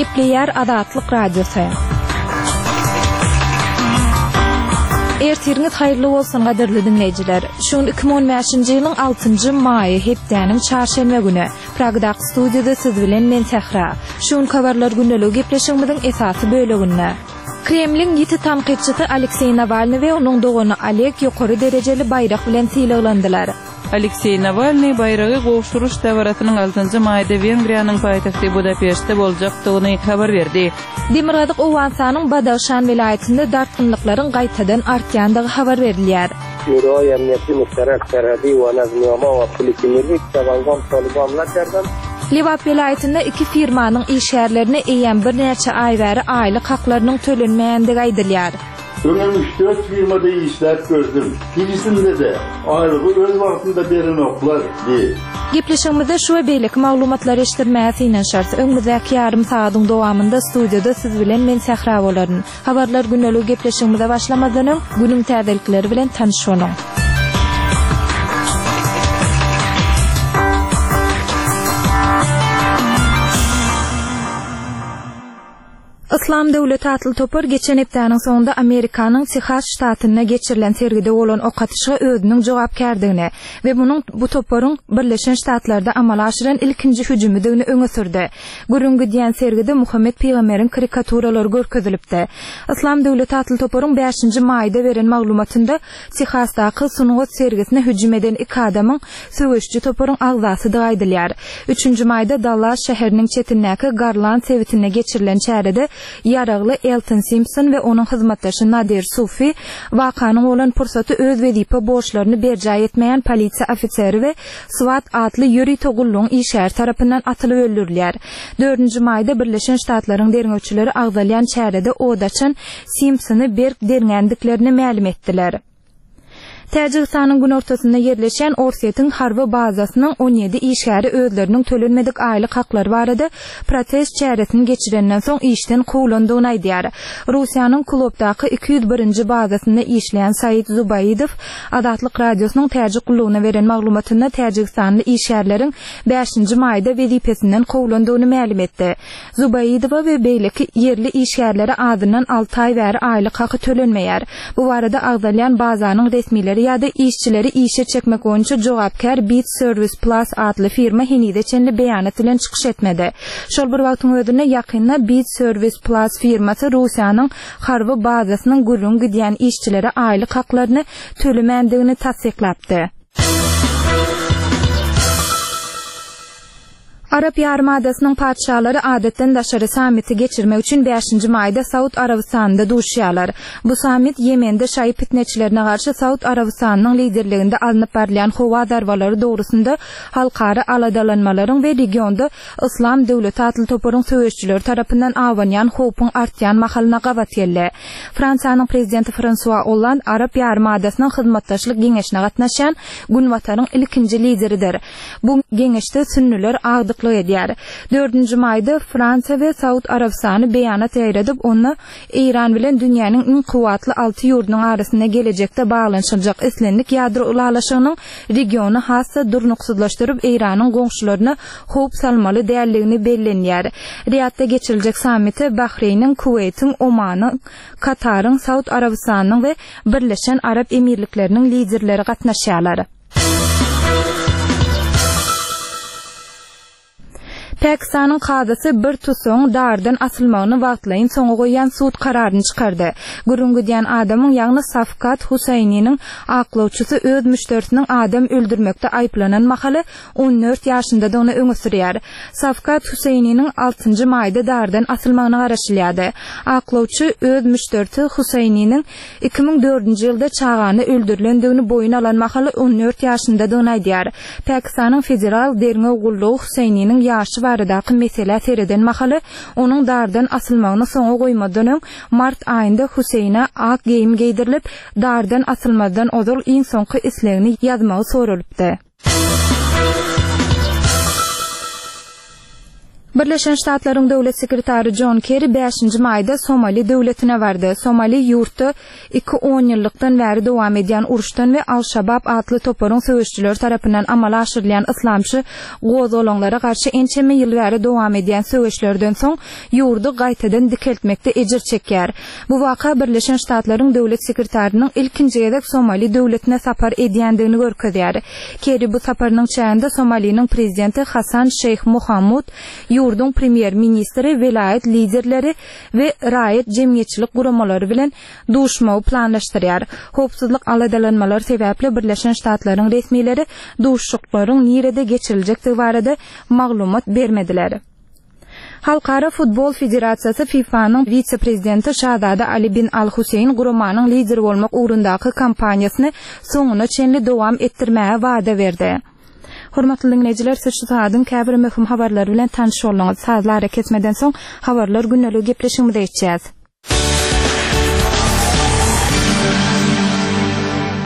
Gepleýär Azatlyk Radiosy. Ertiriňiz haýyrly bolsun gadyrly diňleýjiler. Şu gün 2015-nji ýylyň 6-njy maýy hepdäniň çarşenbe güni. Pragadaky studiýada siz bilen men Sähra. Şu günki habarlar gündeligi gepleşigimiziň esasy böleginde. Kremliň ýiti tankytçysy Alekseý Nawalnyý we onuň dogany Oleg ýokary derejeli baýrak bilen sylaglandylar. Alekseý Nawalnyý baýragy gowşuryş dabarasynyň altynjy maýda Wengriýanyň paýtagty Budapeştde boljakdygyny habar berdi. Demirgazyk Owganystanyň Badahşan welaýatynda dartgynlyklaryň gaýtadan artýandygy habar berilýär. Şuraýy Emniýeti Muşterek Serhedi we Nazmnama we Polisi Milli Kitabangam Taliban Nakerdem. Lebap welaýatynda iki firmanyň işgärlerine eýýäm birnäçe aý bäri aýlyk haklarynyň tölenmeýändigi aýdylýar. Öňem üç-dört firmada işläp gördüm. Hiçisinde-de aýlygy öz wagtynda berenoklar, diýip. Gepleşigimizde şu we beýleki maglumatlary eşitdirmäge synanyşarys. Öňümizdäki ýarym sagadyň dowamynda studiýada siz bilen men Sähra bolaryn. Habarlar gündeligi gepleşigimize başlamazdan öň, günüň täzelikleri bilen tanyş boluň. Yslam döwleti atly topar geçen hepdäniň soňunda Amerikanyň Tehas ştatynda geçirilen sergide bolan ok atyşyga özüniň jogapkärdigini we munuň bu toparyň Birleşen Ştatlarda amala aşyran ilkinji hüjümidigini öňe sürdi. Gürrüň gidýän sergide Muhammet pygamberiň karikaturalary görkezilipdi. Yslam döwleti atly toparyň bäşinji maýda beren maglumatynda Tehasdaky sungat sergisine hüjüm eden iki adamyň söweşiji toparyň agzasydygy aýdylýar. Üçünji maýda Dallas şäheriniň çetindäki Garland sebitinde geçirilen çärede ýaragly Elton Simpson we onuň hyzmatdaşy Nadir Sufi wakanyň bolan pursaty öz wezipe borçlaryny berjaý etmeýän polisiýa ofiseri we SWAT atly ýörite gullugyň işgäri tarapyndan atylyp öldürilýär. Dördünji maýda Birleşen Ştatlaryň derňewçileri agzalýan çärede od açan Simpsony berk derňändiklerini mälim etdiler. Täjigistanyň günortasynda ýerleşýän Orsýetiň harby bazasynyň on ýedi işgäri özleriniň tölenmedik aýlyk haklary barada protest çäresini geçirenden soň işden kowlandygyny aýdýar. Russiýanyň Kulobdaky 201-nji bazasynda işleýän Said Zubaidow Azatlyk Radiosynyň Täjik gullugyna beren maglumatynda täjigistanly işgärleriň bäşinji maýda wezipesinden kowlandygyny mälim etdi. Zubaidowa we beýleki ýerli işgärlere azyndan alty aý bäri aýlyk haky tölenmeýär. Bu barada agzalýan bazanyň resmileri ýa-da işçileri işe çekmek boýunça jogapkär Bit Service Plus atly firma henize çenli beýanat bilen çykyş etmedi. Şol bir wagtyň özünde ýakynda Bit Service Plus firmasy Russiýanyň harby bazasynyň gürrüňi gidýän işçilere aýlyk haklaryny tölemändigini tassyklapdy. Arap ýarymadasynyň patyşalary adatdan daşary sammiti geçirmek üçin bäşinji maýda Saud Arabystanynda duşýarlar. Bu sammit Ýemende şaýy pitneçilerine garşy Saud Arabystanynyň liderliginde alnyp barylýan howa zarbalary dogrusynda halkara aladalanmalaryň we regionda Yslam döwleti atly toparyň söweşijileri tarapyndan abanýan howpuň artýan mahalyna gabat geldi. Fransiýanyň prezidenti Fransua Olland Arap ýarymadasynyň hyzmatdaşlyk geňeşine gatnaşýan Günbataryň ilkinji lideridir. Bu geňeşde sünnüler agdyklyk edýär. Dördünji maýda Fransiýa we Saud Arabystany beýanat ýaýradyp, onda Eýran bilen dünýäniň iň kuwwatly alty ýurdunyň arasynda gelejekde baglanyşyljak islendik ýadro ylalaşygynyň regiony has-da durnuksyzlaşdyryp, Eýranyň goňşularyna howp salmaly däldigini bellenýär. Riýadda geçiriljek sammite Bahreýniň, Kuweýtiň, Omanyň, Kataryň, Saud Arabystanynyň we Birleşen Arap Emirlikleriniň liderleri gatnaşýarlar. Pakistanyň kazysy bir tussagyň dardan asylmagyny wagtlaýyn soňa goýýan sud kararyny çykardy. Gürrüň gidýän adamyň, ýagny Safkat Husaininiň aklawçysy öz müşderisiniň adam öldürmekde aýyplanan mahaly on dört ýaşyndadygyny öňe sürýär. Safkat Husaininiň altynjy maýda dardan asylmagyna garaşylýardy. Aklawçy öz müşderisi Husaininiň 2004-nji ýylda çagany öldürilendigini boýun alan mahaly on dört ýaşyndadygyny aýdýar. Pakistanyň Federal derňew gullugy Huseýniniň ýaşy baradaky meselä sereden mahaly, onuň dardan asylmagyny soňa goýmazdan öň, mart aýynda Huseýnä ak geýim geýdirilip, dardan asylmazdan ozal iň soňky islegini ýazmagy soralypdy. Birleşen Ştatlaryň Döwlet sekretary Jon Kerri bäşinji maýda Somali döwletine bardy. Somali ýurtda iki onýyllykdan bäri dowam edýän uruşdan we Al-Şabab atly toparyň söweşijileri tarapyndan amala aşyrylýan yslamçy gozgalaňlara garşy ençeme ýyl bäri dowam edýän söweşlerden soň ýurdy gaýtadan dikeltmekde ejir çekýär. Bu waka Birleşen Ştatlaryň Döwlet sekretarynyň ilkinji gezek Somali döwletine sapar edýändigini görkezýär. Kerri bu saparynyň çäginde Somaliniň prezidenti Hasan Şeýh Mohamud, ýurduň premýer-ministri, welaýat liderleri we raýat jemgyýetçilik guramalary bilen duşmagy planlaşdyrýar. Howpsuzlyk aladalanmalary sebäpli Birleşen Ştatlaryň resmileri duşuşyklaryň nirede geçiriljekdigi barada maglumat bermediler. Halkara futbol federasiýasy FIFA-nyň wise-prezidenti şazada Ali bin Al-Huseýn guramanyň lideri bolmak ugrundaky kampaniýasyny soňuna çenli dowam etdirmäge wada berdi. Hormatly diňleýjiler, siz şu sagadyň käbir möhüm habarlary bilen tanyş bolduňyz. Sazly arakesmeden soň, Habarlar gündeliği gepleşigimize geçýäs.